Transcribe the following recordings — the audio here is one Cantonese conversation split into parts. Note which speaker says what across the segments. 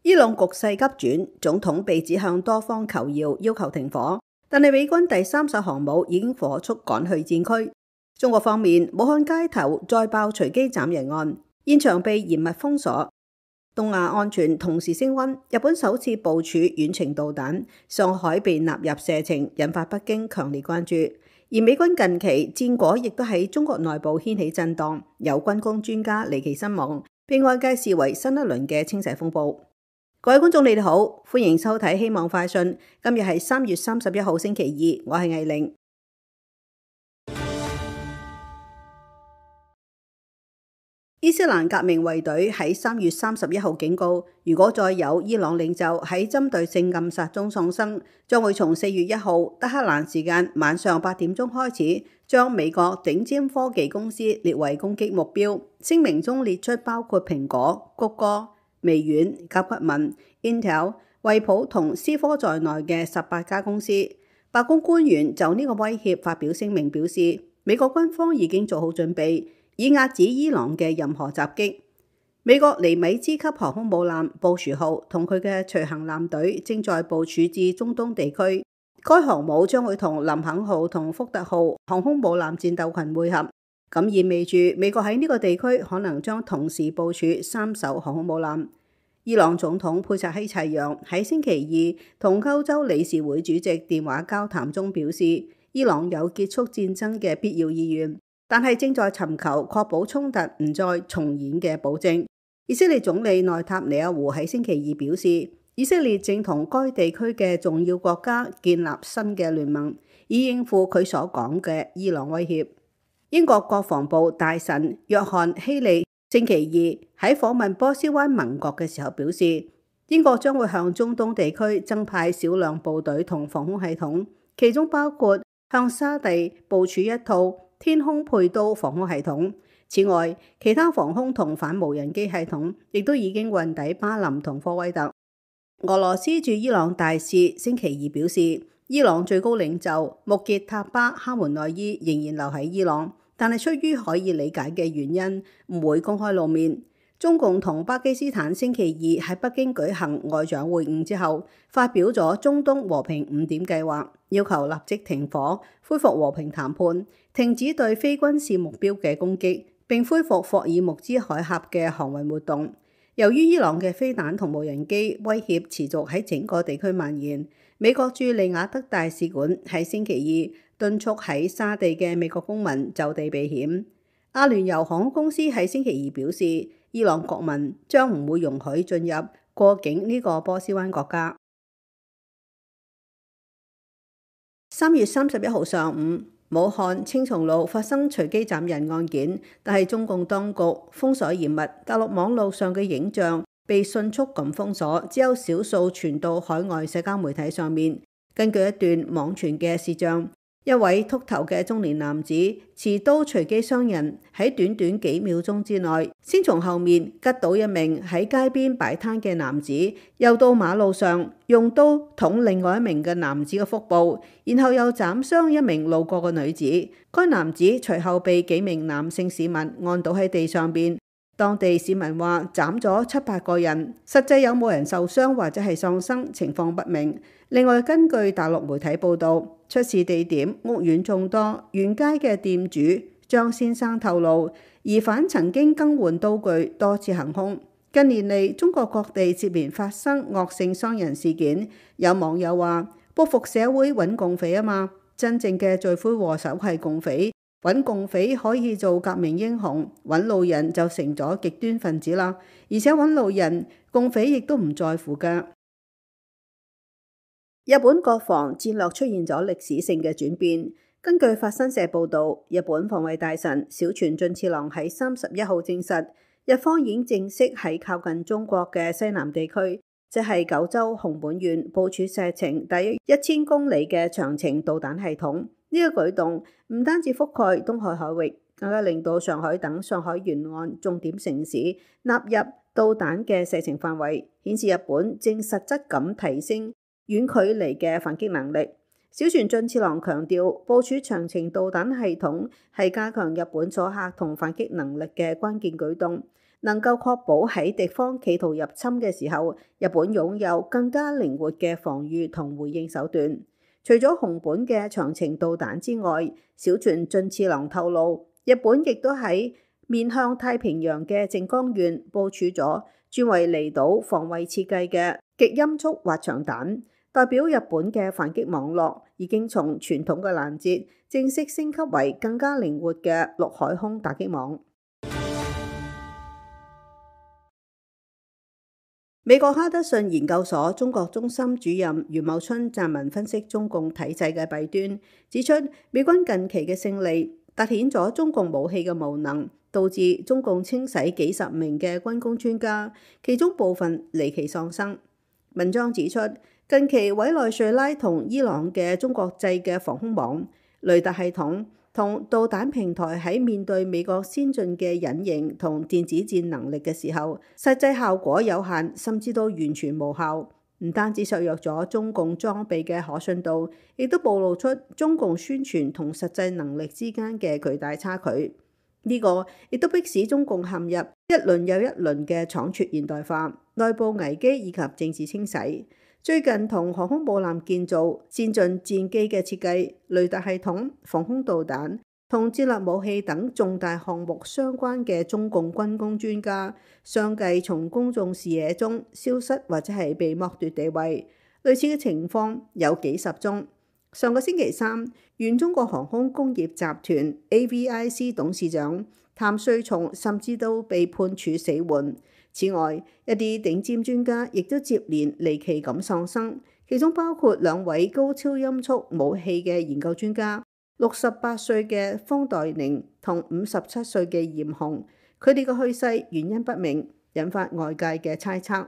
Speaker 1: 伊朗局勢急轉，總統被指向多方求饒，要求停火，但係美軍第3艘航母已經火速趕去戰區。中國方面，武漢街頭再爆隨機斬人案，現場被嚴密封鎖。東亞安全同時升溫，日本首次部署遠程導彈，上海被納入射程，引發北京強烈關注。而美軍近期戰果亦都喺中國內部掀起震盪，有軍工專家離奇身亡，被外界視為新一輪嘅清洗風暴。各位觀眾你哋好，歡迎收睇希望快訊。今日係3月31號星期2，我係藝玲。伊斯蘭革命衛隊喺3月31號警告，如果再有伊朗領袖喺針對性暗殺中喪生，將會從4月1號德黑蘭時間晚上8點鐘開始，將美國頂尖科技公司列為攻擊目標。聲明中列出包括蘋果、谷歌、微軟、甲骨文、Intel、惠普同思科在內嘅18家公司。白宮官員就呢個威脅發表聲明，表示美國軍方已經做好準備，以壓止伊朗嘅任何襲擊。美國尼米茲級航空母艦布殊號同佢嘅隨行艦隊正在部署至中東地區，該航母將會同林肯號同福特號航空母艦戰鬥群會合，咁意味住美國喺呢個地區可能將同時部署3艘航空母艦。伊朗總統佩薩希齊揚喺星期2同歐洲理事會主席電話交談中表示，伊朗有結束戰爭嘅必要意願，但係正在尋求確保衝突唔再重演嘅保證。以色列總理內塔尼亞胡喺星期2表示，以色列正同該地區嘅重要國家建立新嘅聯盟，以應付佢所講嘅伊朗威脅。英國國防部大臣約翰希利星期2喺訪問波斯灣盟國嘅時候表示，英國將會向中東地區增派少量部隊同防空系統，其中包括向沙地部署一套天空佩刀防空系統。此外，其他防空同反無人機系統亦都已經運抵巴林同科威特。俄羅斯駐伊朗大使星期2表示，伊朗最高領袖穆傑塔巴哈梅內伊仍然留喺伊朗，但係出於可以理解嘅原因，唔會公開露面。中共同巴基斯坦星期2喺北京舉行外長會晤之後，發表咗中東和平5點計劃，要求立即停火、恢復和平談判、停止對非軍事目標嘅攻擊，並恢復霍爾木茲海峽嘅航運活動。由於伊朗嘅飛彈同無人機威脅持續喺整個地區蔓延，美國駐利雅得大使館喺星期2敦促喺沙地嘅美國公民就地避險。阿聯酋航空公司喺星期2表示，伊朗國民將唔會容許進入過境呢個波斯灣國家。3月31號上午，武漢青松路發生隨機斬人案件，但係中共當局封鎖嚴密，大陸網絡上嘅影像被迅速咁封鎖，只有少數傳到海外社交媒體上面。根據一段網傳嘅視像，一位禿頭嘅中年男子持刀隨機傷人，喺短短幾秒鐘之內，先從後面吉倒一名喺街邊擺攤嘅男子，又到馬路上用刀捅另外一名嘅男子嘅腹部，然後又斬傷一名路過嘅女子。該男子隨後被幾名男性市民按倒喺地上邊。當地市民話斬咗7-8個人，實際有冇人受傷或者係喪生，情況不明。另外，根據大陸媒體報道，出事地點屋苑眾多，沿街嘅店主張先生透露，疑犯曾經更換刀具，多次行兇。近年嚟，中國各地接連發生惡性傷人事件，有網友話報復社會揾共匪啊嘛，真正嘅罪魁禍首係共匪。揾共匪可以做革命英雄，揾路人就成咗極端分子啦。而且揾路人，共匪亦都唔在乎㗎。日本國防戰略出現咗歷史性嘅轉變。根據法新社報導，日本防衛大臣小泉進次郎喺31號證實，日方已經正式喺靠近中國嘅西南地區，即係九州熊本縣部署射程大約1000公里嘅長程導彈系統。呢個舉動唔單止覆蓋東海海域，更加令到上海等上海沿岸重點城市納入導彈嘅射程範圍，顯示日本正實質咁提升遠距離嘅反擊能力。小泉進次郎強調，部署長程導彈系統係加強日本阻嚇同反擊能力嘅關鍵舉動。能夠確保喺敵方企圖入侵嘅時候，日本擁有更加靈活嘅防禦同回應手段。除咗熊本嘅長程導彈之外，小泉進次郎透露，日本亦都喺面向太平洋嘅靜岡縣部署咗專為離島防衛設計嘅極音速滑翔彈，代表日本嘅反擊網絡已經從傳統嘅攔截正式升級為更加靈活嘅陸海空打擊網。美國哈德遜研究所中國中心主任余茂春撰文分析中共體制嘅弊端，指出美軍近期嘅勝利凸顯咗中共武器嘅無能，導致中共清洗幾十名嘅軍工專家，其中部分離奇喪生。文章指出，近期委內瑞拉同伊朗嘅中國製嘅防空網、雷達系統同導彈平台喺面對美國先進嘅隱形同電子戰能力嘅時候，實際效果有限，甚至都完全無效。唔單止削弱咗中共裝備嘅可信度，亦都暴露出中共宣傳同實際能力之間嘅巨大差距。呢個亦都迫使中共陷入一輪又一輪嘅倉促現代化、內部危機以及政治清洗。最近同航空母艦建造、先進戰機嘅設計、雷達系統、防空導彈同戰略武器等重大項目相關嘅中共軍工專家，相繼從公眾視野中消失或者係被剝奪地位。類似嘅情況有幾十宗。上個星期三，原中國航空工業集團 AVIC 董事長譚瑞松甚至都被判處死緩。此外，一啲頂尖專家亦都接連離奇咁喪生，其中包括兩位高超音速武器嘅研究專家，68歲嘅方岱寧同57歲嘅嚴雄。佢哋嘅去世原因不明，引發外界嘅猜測。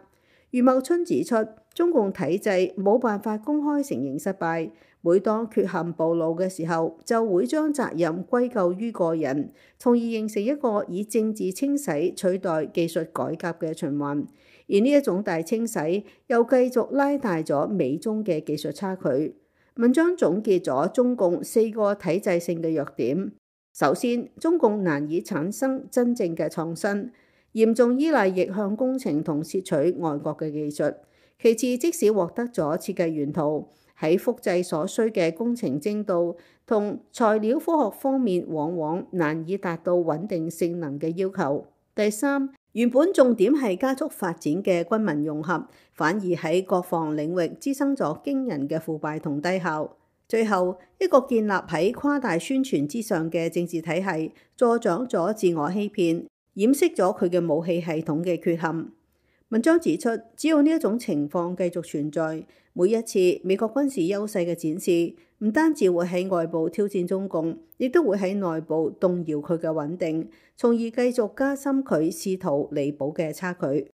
Speaker 1: 余茂春指出，中共體制冇辦法公開承認失敗，每當缺陷暴露嘅時候，就會將責任歸咎於個人，從而形成一個以政治清洗取代技術改革嘅循環。而呢一種大清洗又繼續拉大咗美中嘅技術差距。文章總結咗中共4個體制性嘅弱點。首先，中共難以產生真正嘅創新，嚴重依賴逆向工程同竊取外國嘅技術。其次，即使獲得咗設計原圖，喺複製所需嘅工程精度同材料科學方面，往往難以達到穩定性能嘅要求。第三，原本重點係加速發展嘅軍民融合，反而喺國防領域滋生咗驚人嘅腐敗同低效。最後，一個建立喺誇大宣傳之上嘅政治體系，助長咗自我欺騙，掩飾咗佢嘅武器系統嘅缺陷。文章指出，只要呢一種情況繼續存在，每一次美國軍事優勢嘅展示，唔單止會喺外部挑戰中共，亦都會喺內部動搖佢嘅穩定，從而繼續加深佢試圖彌補嘅差距。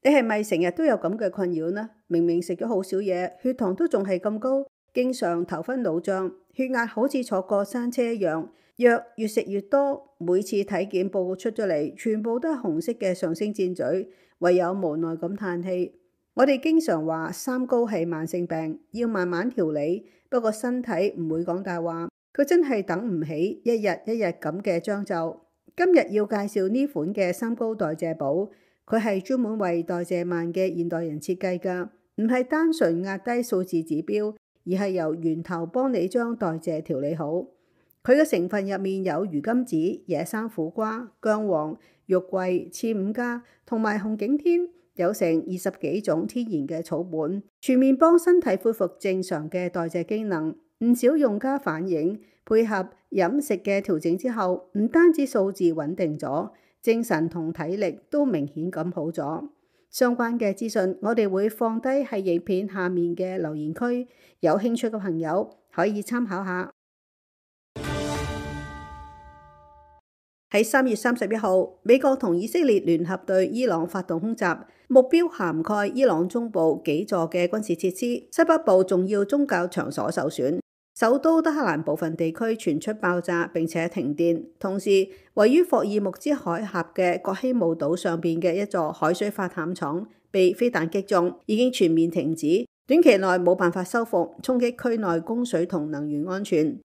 Speaker 1: 你係咪成日都有咁嘅困擾呢？明明食咗好少嘢，血糖都仲係咁高，經常頭昏腦脹，血壓好似坐過山車一樣，藥越食越多，每次體檢報告出咗嚟，全部都係紅色嘅上升箭嘴，唯有無奈咁嘆氣。我哋經常話三高係慢性病，要慢慢調理，不過身體唔會講大話，佢真係等唔起一日一日咁嘅將就。今日要介紹呢款嘅三高代謝寶。佢係專門為代謝慢嘅現代人設計㗎，唔係單純壓低數字指標，而係由源頭幫你將代謝調理好。佢嘅成分入面有魚甘子、野生苦瓜、薑黃、肉桂、刺五加同埋紅景天，有成20幾種天然嘅草本，全面幫身體恢復正常嘅代謝機能。唔少用家反映，配合飲食嘅調整之後，唔單止數字穩定咗，精神同體力都明顯咁好咗。相關嘅資訊我哋會放低喺影片下面嘅留言區，有興趣嘅朋友可以參考下。喺3月31號，美國同以色列聯合對伊朗發動空襲，目標涵蓋伊朗中部幾座嘅軍事設施，西北部重要宗教場所受損。首都德黑蘭部分地區傳出爆炸並且停電，同時位於霍爾木茲海峽嘅葛希姆島上邊嘅一座海水化淡廠被飛彈擊中，已經全面停止，短期內冇辦法修復，衝擊區內供水同能源安全。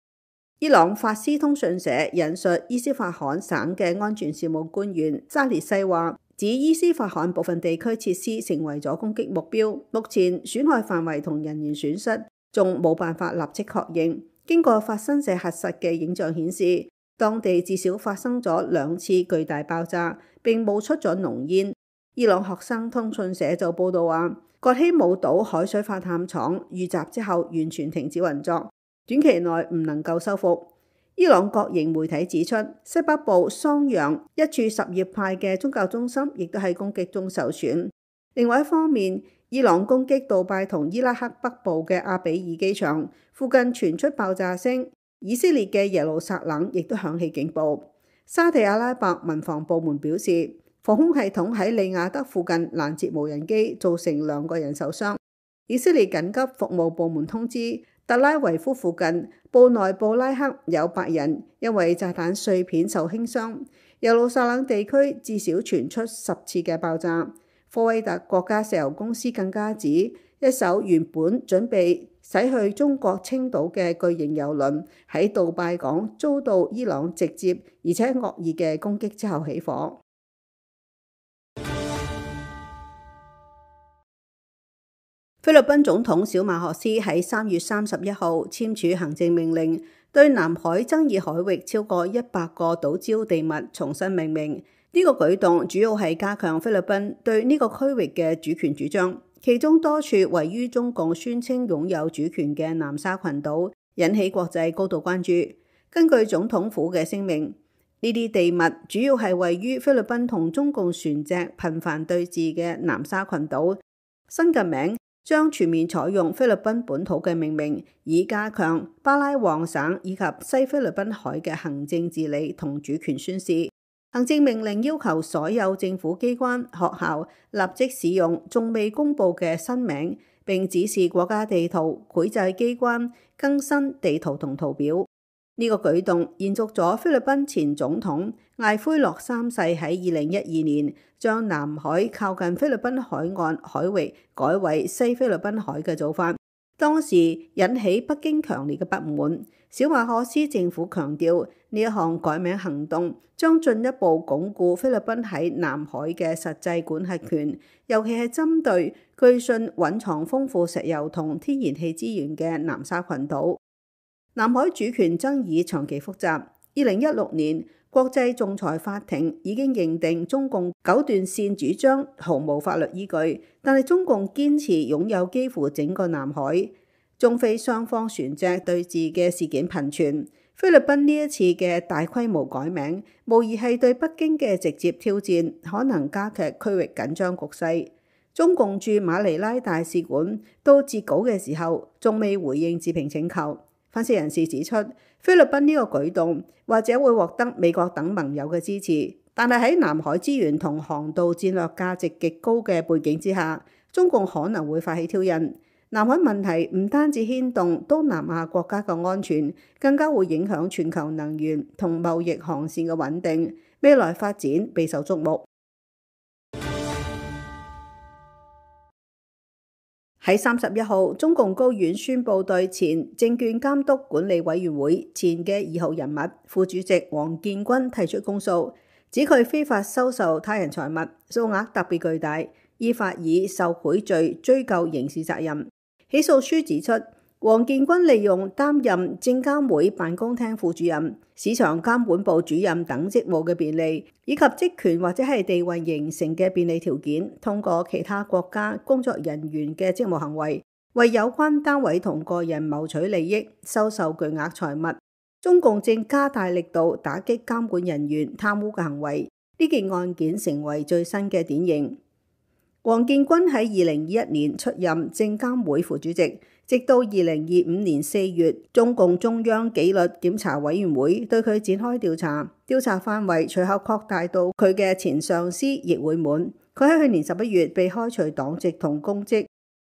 Speaker 1: 伊朗法斯通訊社引述伊斯法罕省嘅安全事務官員沙列西話，指伊斯法罕部分地區設施成為咗攻擊目標，目前損害範圍同人員損失仲冇辦法立即確認。經過法新社核實嘅影像顯示，當地至少發生咗2次巨大爆炸，並冒出咗濃煙。伊朗學生通訊社就報道話，葛希姆島海水化淡廠遇襲之後完全停止運作，短期內唔能夠修復。伊朗國營媒體指出，西北部桑揚一處什葉派嘅宗教中心亦都喺攻擊中受損。另外一方面，伊朗攻擊杜拜同伊拉克北部嘅阿比爾機場，附近傳出爆炸聲。以色列嘅耶路撒冷亦都響起警報。沙地阿拉伯民防部門表示，防空系統喺利雅得附近攔截無人機，造成2個人受傷。以色列緊急服務部門通知，特拉維夫附近布內布拉克有8人因為炸彈碎片受輕傷。耶路撒冷地區至少傳出10次嘅爆炸。科威特國家石油公司更加指，一艘原本準備駛去中國青島嘅巨型油輪喺杜拜港遭到伊朗直接而且惡意嘅攻擊之後起火。菲律賓總統小馬可斯喺3月31號簽署行政命令，對南海爭議海域超過100個島礁地物重新命名。呢個舉動主要係加強菲律賓對呢個區域嘅主權主張，其中多處位於中共宣稱擁有主權嘅南沙群島，引起國際高度關注。根據總統府嘅聲明，呢啲地物主要係位於菲律賓同中共船隻頻繁對峙嘅南沙群島。新嘅名將全面採用菲律賓本土嘅命名，以加強巴拉望省以及西菲律賓海嘅行政治理同主權宣示。行政命令要求所有政府機關、學校立即使用仲未公布嘅新名，並指示國家地圖繪製機關更新地圖同圖表。呢個舉動延續咗菲律賓前總統艾奎諾3世喺2012年將南海靠近菲律賓海岸海域改為西菲律賓海嘅做法，當時引起北京強烈嘅不滿。小馬可斯政府強調，呢一項改名行動將進一步鞏固菲律賓喺南海嘅實際管轄權，尤其係針對據信蘊藏豐富石油同天然氣資源嘅南沙群島。南海主權爭議長期複雜。2016年，國際仲裁法庭已經認定中共九段線主張毫無法律依據，但係中共堅持擁有幾乎整個南海。中菲雙方船隻對峙嘅事件頻傳，菲律賓呢一次嘅大規模改名，無疑係對北京嘅直接挑戰，可能加劇區域緊張局勢。中共駐馬尼拉大使館到截稿嘅時候，仲未回應置評請求。分析人士指出，菲律賓呢個舉動或者會獲得美國等盟友嘅支持，但係喺南海資源同航道戰略價值極高嘅背景之下，中共可能會發起挑釁。南海問題唔單止牽動東南亞國家嘅安全，更加會影響全球能源同貿易航線嘅穩定，未來發展備受矚目。喺31號，中共高院宣布對前證券監督管理委員會前嘅2號人物副主席王建軍提出公訴，指佢非法收受他人財物，數額特別巨大，依法以受賄罪追究刑事責任。起訴書指出，王建軍利用擔任證監會辦公廳副主任、市場監管部主任等職務嘅便利，以及職權或者係地位形成嘅便利條件，通過其他國家工作人員嘅職務行為，為有關單位同個人謀取利益，收受巨額財物。中共正加大力度打擊監管人員貪污嘅行為，呢件案件成為最新嘅典型。王建軍喺2021年出任證監會副主席，直到2025年4月，中共中央紀律檢查委員會對佢展開調查，調查範圍隨後擴大到佢嘅前上司易會滿。佢喺去年11月被開除黨籍同公職。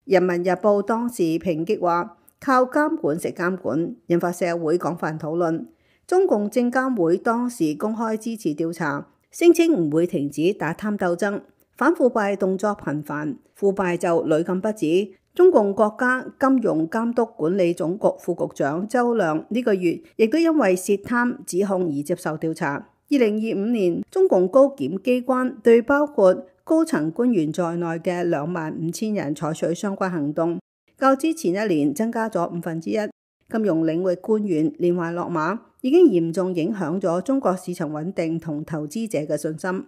Speaker 1: 人民日報當時抨擊話，靠監管食監管，引發社會廣泛討論。中共證監會當時公開支持調查，聲稱唔會停止打貪鬥爭。反腐敗動作頻繁，腐敗就屢禁不止。中共國家金融監督管理總局副局長周亮呢個月亦都因為涉貪指控而接受調查。2025年，中共高檢機關對包括高層官員在內嘅25000人採取相關行動，較之前一年增加咗1/5。金融領域官員連環落馬，已經嚴重影響咗中國市場穩定同投資者嘅信心。